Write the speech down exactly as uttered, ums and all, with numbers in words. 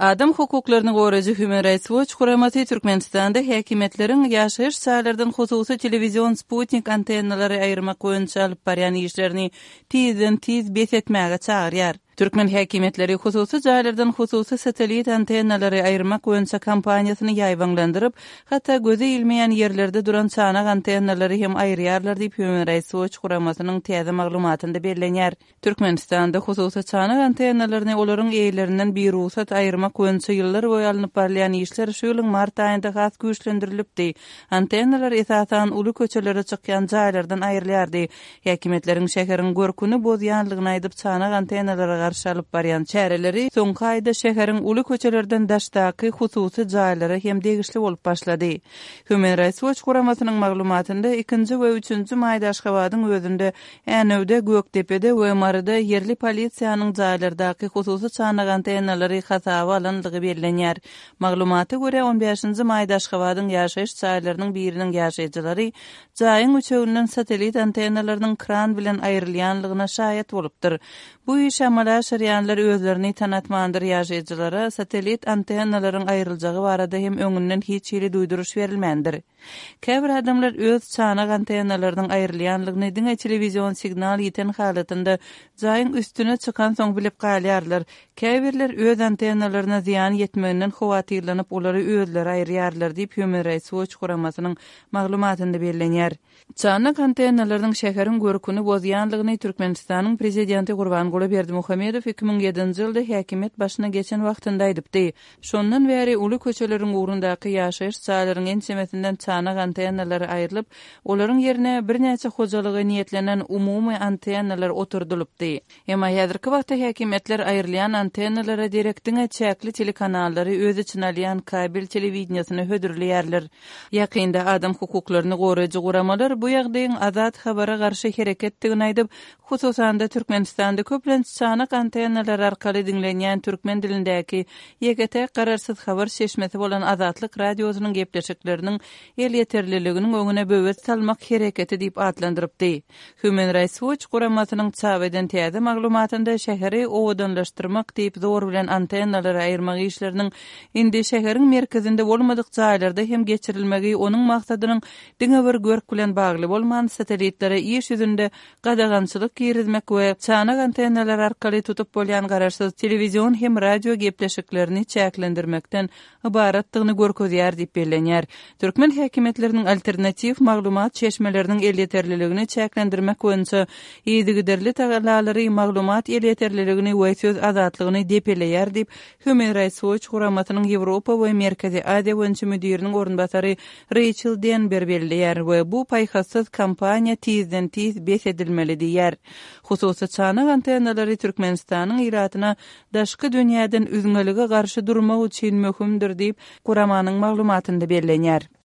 Adam hukuklaryny goraýjy Human Rights Watch guramasy Türkmenistanda häkimiýetleriň ýaşaýyş jaýlardan hususy telewizion sputnik antennalary aýyrmak boýunça alyp barýan işlerini tizden-tiz bes etmäge çagyrýar. Türkmen häkimiýetleri hususy jaýlardan hususy satellit antennalary aýyrmak boýunça kampaniýasyny ýaýbaňlandyryp, hatda göze ilmeýän ýerlerde duran çanak antennalary hem aýyrýarlar diýip Human Rights Watch guramasynyň täze maglumatynda bellenýär. Türkmenistanda hususy çanak antennalaryny olaryň eýelerinden birugsat aýyrmak boýunça ýyllar boýy alnyp barylýan işler şu ýylyň mart aýynda has güýçlendirilipdi. Antennalar esasan uly köçelere çykýan jaýlardan aýrylýardy. Häkimiýetleriň şäheriň görküni bozýanlygyny aýdyp çanak antennalara garşy alyp barýan çäreleri soňky aýda şäheriň uly köçelerden daşdaky hususy jaýlara hem degişli bolup başlady. Human Rights Watch guramasynyň maglumatynda ikinji we üçünji maýda Aşgabadyň özünde Änewde, Gökdepede we Maryda ýerli polisiýanyň jaýlardaky hususy çanak antennalary hasaba alandygy bellenýär. Maglumata görä on bäşinji maýda Aşgabadyň ýaşaýyş jaýlarynyň biriniň ýaşaýjylary jaýyň üçeginden satellit antennalarynyň kran bilen aýrylýanlygyna şaýat bolupdyr. Bu işi amala aşyrýanlar özlerini tanatmandyr ýaşaýjylara satellit antennalaryň aýryljagy barada hem öňünden hiç hili duýduryş berilmändir. Käbir adamlar öz çanak antennalarynyň aýrylýanlygyny diňe telewizion signal ýiten halatynda jaýyň üstüne çykansoň bilip galýarlar. Käbirler öz antennalaryna zyýan ýetmeginden howatyrlanyp olary özleri aýyrýarlar diýip Human Rights Watch guramasynyň maglumatynda bellenýär. Çanak antennalarynyň şäheriň görküni bozýanlygyny Türkmenistanyň prezidenti Gurbanguly Berdimuhamedow iki müň ýedinji ýylda häkimiýet başyna geçen wagtynda aýdypdy. Şondan bäri uly köçeleriň ugrundaky ýaşaýyş jaýlaryň ençemesinden çanak antennalary aýrylyp, olaryň ýerine birnäçe hojalyga niýetlenen umumy antennalar oturdylypdy. Emma häzirki wagtda häkimiýetler aýrylýan antennalara derek diňe çäkli telekanallary öz içine alýan kabel telewideniýesini hödürleýärler. Ýakynda adam hukuklaryny goraýjy guramalar bu ýagdaýyň azat habara garşy hereketdigini aýdyp, hususan-da Türkmenistanda köplenç çanak antennalar arkaly diňlenýän türkmen dilindäki ýeke-täk garaşsyz habar çeşmesi bolan Azatlyk radiosynyň gepleşikleriniň elýeterliliginiň öňüne böwet salmak hereketi diýip atlandyrypdy. Human Rights Watch guramasynyň çap eden täze maglumatynda şäheri owadanlaşdyrmak diýip zor bilen antennalary aýyrmak işleriniň indi şäheriň merkezinde bolmadyk jaýlarda hem geçirilmegi onuň maksadynyň diňe bir görk bilen bagly bolman satellitlere iş ýüzünde gadagançylyk girizmek we çanak antennalar arkaly tutup bolýan garaşsyz telewizion hem radio gepleşiklerini çäklendirmekden ybaratdygyny görkezýär diýip bellenýär. Türkmen häkimiýetleriniň alternatiw maglumat çeşmeleriniň elýeterliligini çäklendirmek boýunça yzygiderli tagallalary maglumat elýeterliligini we söz azatlygyny depeleýär diýip Human Rights Watch guramasynyň Ýewropa we Merkezi Aziýa boýunça müdiriniň orunbasary Rachel Denber belleýär we bu paýhassyz kampaniýa tizden-tiz bes edilmeli diýýär. Hususy çanak antennalary Türkmenistanyň ilatyna daşky dünýäden üzňelige garşy durmak üçin möhümdir diýip guramanyň maglumatynda bellenýär.